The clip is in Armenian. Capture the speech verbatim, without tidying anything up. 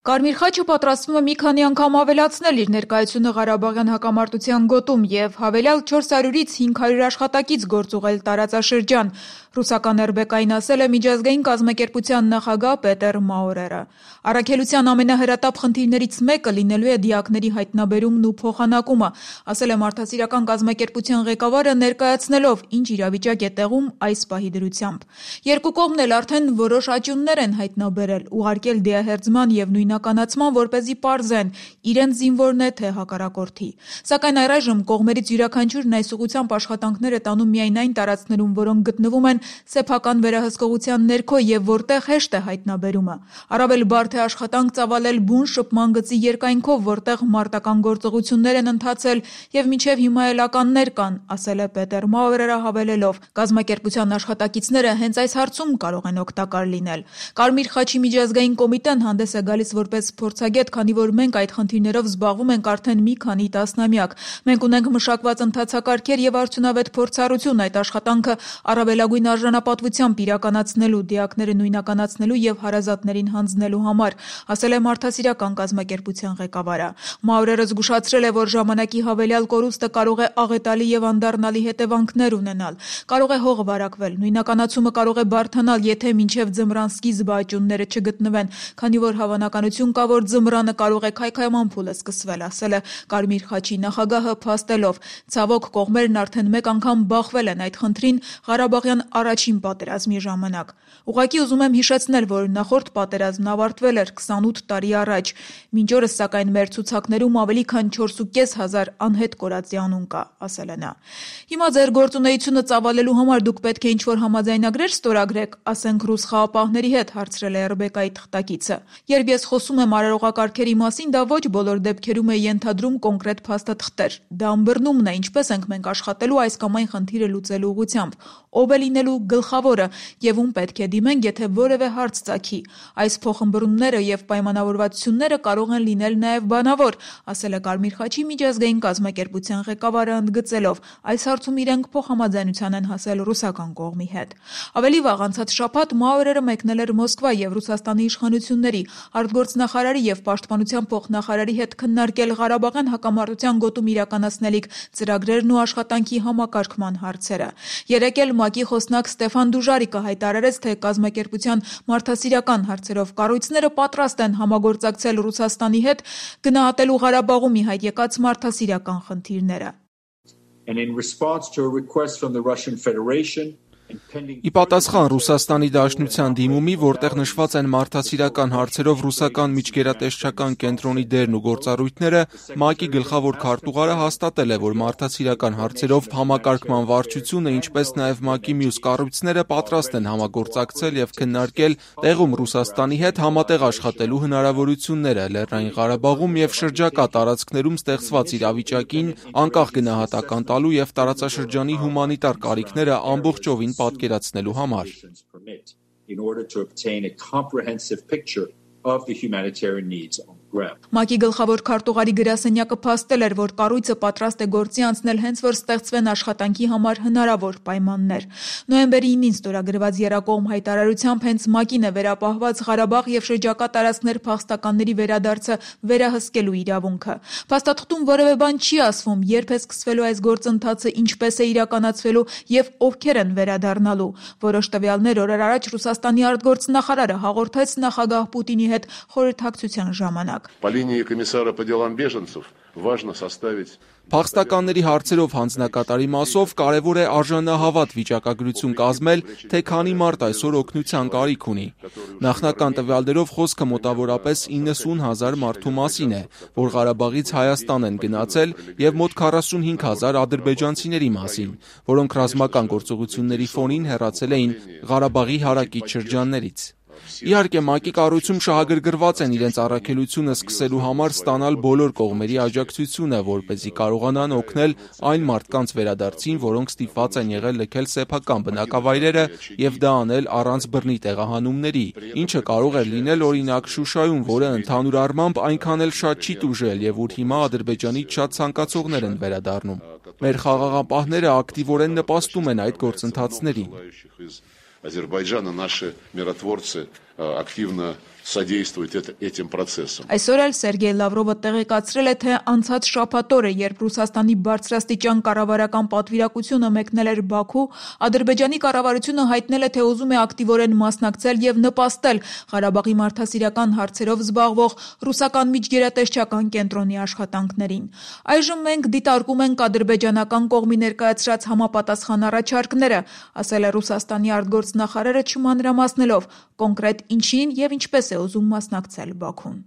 Կարմիր խաչը պատրաստվում է մի քանի անգամ ավելացնել իր ներկայությունը Ղարաբաղյան հակամարտության գոտում և հավելյալ չորս հարյուրից հինգ հարյուր աշխատակից գործուղել տարածաշրջան, ռուսական эр բե կային ասել է միջազգային կազմակերպության նախագահ Պետեր Մաուրերը։ Առաքելության ամենահրատապ խնդիրներից մեկը լինելու է դիակների հայտնաբերումն ու փոխանակումը, ասել է մարդասիրական կազմակերպության ղեկավարը, ներկայացնելով ինչ իրավիճակ է տեղում այս պահի դրությամբ։ Երկու կողմն էլ արդեն որոշ աճյուններ են հայտնաբերել, ուղարկել դիահերձման և նույնականացման, որպեսզի պարզեն իրենց զինվորն է թե հակառակորդի։ Սակայն առայժմ կողմերից յուրաքանչյուրն այս ուղղությամբ աշխատանքներ է տանում միայն այն տարածքներում, որոնք գտնվում են սեփական վերահսկողության ներքո և որտեղ հեշտ է հայտնաբերումը։ Առավել բարդ է աշխատանք ծավալել բուն շփման գծի երկայնքով, որտեղ մարտական գործողություններ են ընթացել և մինչև հիմա էլ ականներ կան, ասել է Պետեր Մաուրերը, հավելելով. կազմակերպության աշխատակիցները հենց այս հարցում կարող են օգտակար լինել։ Կարմիր խաչի միջազգային կոմիտեն հանդես է գալիս որպես փորձագետ, քանի որ մենք այդ խնդիրներով զբաղվում ենք արդեն մի քանի տասնամյակ։ Մենք ունենք մշակված ընթացակարգեր և արդյունավետ փորձառություն այդ աշխատանքը առավելագույն արժանապատվությամբ իրականացնելու, դիակները նույնականացնելու և հարազատներին հանձնելու համար, ասել է մարդասիրական կազմակերպության ղեկավարը։ Մաուրերը զգուշացրել է, որ ժամանակի հավելյալ կորուստը կարող է աղետալի և անդառնալի հետևանքներ ունենալ, կարող է հող վարակվել, նույնականացումը կարող է բարդանալ, եթե մինչև ձմռան սկիզբը աճյունները չգտնվեն, քանի որ հավանականություն կա, որ ձմռանը կարող է քայքայման փուլը սկսվել, ասել է Կարմիր խաչի նախագահը, փաստելով. ցավոք, կողմերն արդեն մեկ անգամ բախվել են այդ խնդրին Ղարաբաղյան առաջին պատերազմի ժամանակ։ Ուղղակի ուզում եմ հիշեցնել, որ նախորդ պատերազմն ավարտվել էր քսանութ տարի առաջ։ Մինչ օրս, սակայն, մեր ցուցակներում ավելի քան չորս ու կես հազար անհետ կորածի անուն կա, ասել է նա։ Հիմա ձեր գործունեությունը ծավալելու համար դուք պետք է ինչ-որ համաձայնագրեր ստորագրեք, ասենք ռուս խաղապահների հետ, հարցրել է эр բե կայի թղթակիցը։ Երբ ես խոսում եմ արարողակարգերի մասին, դա ոչ բոլոր դեպքերում է ենթադրում կոնկրետ փաստաթղթեր։ Դա ըմբռնումն է, ինչպես ենք մենք աշխատելու այս կամ այն խնդիրը լուծելու ուղղությամբ, ով է լինելու գլխավորը և ում պետք է դիմենք, եթե որևէ հարց ծագի։ Այս փոխըմբռնումները և պայմանավորվածությունները կարող են լինել նաև բանավոր, ասել է Կարմիր խաչի միջազգային կազմակերպության ղեկավարը, ընդգծելով. այս հարցում իրենք փոխհամաձայնության են հասել ռուսական կողմի հետ։ Ավելի վաղ անցած շաբաթ Մաուրերը մեկնել էր Մոսկվա և Ռուսաստանի իշխանությունների, արտգործնախարարի և պաշտպանության փոխնախարարի հետ քննարկել Ղարաբաղյան հակամարտության գոտում իրականացնելիք ծրագրերն ու աշխատանքի համակարգման հարցերը։ Երեկ էլ ՄԱԿ-ի խոսնակ Ստեֆան Դուժարիկը հայտարարեց, թե կազմակերպության մարդասիրական հարցերով կառույցները պատրաստ են համագործակցել Ռուսաստանի հետ՝ գնահատելու Ղարաբաղում ի հայտ եկած մարդասիրական խնդիրները։ Ի պատասխան Ռուսաստանի Դաշնության դիմումի, որտեղ նշված են մարդասիրական հարցերով ռուսական միջգերատեսչական կենտրոնի դերն ու գործառույթները, ՄԱԿ-ի գլխավոր քարտուղարը հաստատել է, որ մարդասիրական հարցերով համակարգման վարչությունը, ինչպես նաև ՄԱԿ-ի մյուս կառույցները պատրաստ են համագործակցել և քննարկել տեղում Ռուսաստանի հետ համատեղ աշխատելու հնարավորությունները Լեռնային Ղարաբաղում և շրջակա տարածքներում ստեղծված իրավիճակին անկախ գնահատական տալու և տարածաշրջանի հումանիտար կարիքները ամբողջովին պատկերացնելու համար։ ՄԱԿ-ի գլխավոր քարտուղարի գրասենյակը փաստել էր, որ կառույցը պատրաստ է գործի անցնել հենց որ ստեղծվեն աշխատանքի համար հնարավոր պայմաններ։ Նոյեմբերի ինին ստորագրված եռակողմ հայտարարությամբ հենց ՄԱԿ-ին է վերապահված Ղարաբաղ և շրջակա տարածքներ փախստականների վերադարձը վերահսկելու իրավունքը։ Փաստաթղթում որևէ բան չի ասվում, երբ է սկսվելու այս գործընթացը, ինչպես է իրականացվելու և ովքեր են վերադառնալու։ Որոշ տվյալներ օրեր առաջ Ռուսաստանի արտգործնախարարը հաղորդեց նախագահ Պուտինի հետ խորհրդակցության ժամանակ։ Փախստականների հարցերով հանձնակատարի մասով կարևոր է արժանահավատ վիճակագրություն կազմել, թե քանի մարդ այսօր օգնության կարիք ունի։ Նախնական տվյալներով խոսքը մոտավորապես իննսուն հազար մարդու մասին է, որ Ղարաբաղից Հայաստան են գնացել, և մոտ քառասունհինգ հազար ադրբեջանցիների մասին, որոնք ռազմական գործողությունների ֆոնին հեռացել էին Ղարաբաղի հարակից շրջաններից։ Իհարկե, ՄԱԿ-ի կառույցում շահագրգռված են իրենց առաքելությունը սկսելու համար ստանալ բոլոր կողմերի աջակցությունը, որպեսզի կարողանան օգնել այն մարդկանց վերադարձին, որոնք ստիպված են եղել լքել սեփական բնակավայրերը և դա անել առանց բռնի տեղահանումների, ինչը կարող էր լինել օրինակ Շուշայում, որը ընդհանուր առմամբ այնքան էլ շատ չի տուժել և ուր հիմա Ադրբեջանից շատ ցանկացողներ են վերադառնում։ Մեր խաղաղապահները ակտիվորեն նպաստում են այդ գործընթացներին։ Азербайджана наши миротворцы активно содействовать этим процессам. Այսօր էլ Սերգեյ Լավրովը տեղեկացրել է, թե անցած շաբաթ օրը, երբ Ռուսաստանի բարձրաստիճան կառավարական պատվիրակությունը մեկնել էր Բաքու, Ադրբեջանի կառավարությունը հայտնել է, թե ուզում է ակտիվորեն մասնակցել եւ նպաստել Ղարաբաղի մարդասիրական հարցերով զբաղվող ռուսական միջգերատեսչական կենտրոնի աշխատանքներին։ Այժմ մենք դիտարկում ենք ադրբեջանական կողմի ներկայացրած համապատասխան առաջարկները, ասել է Ռուսաստանի արտգործնախարարը, չմանրամասնելով կոնկրետ ինչին եւ ինչպես է ուզում մասնակցել Բաքուն։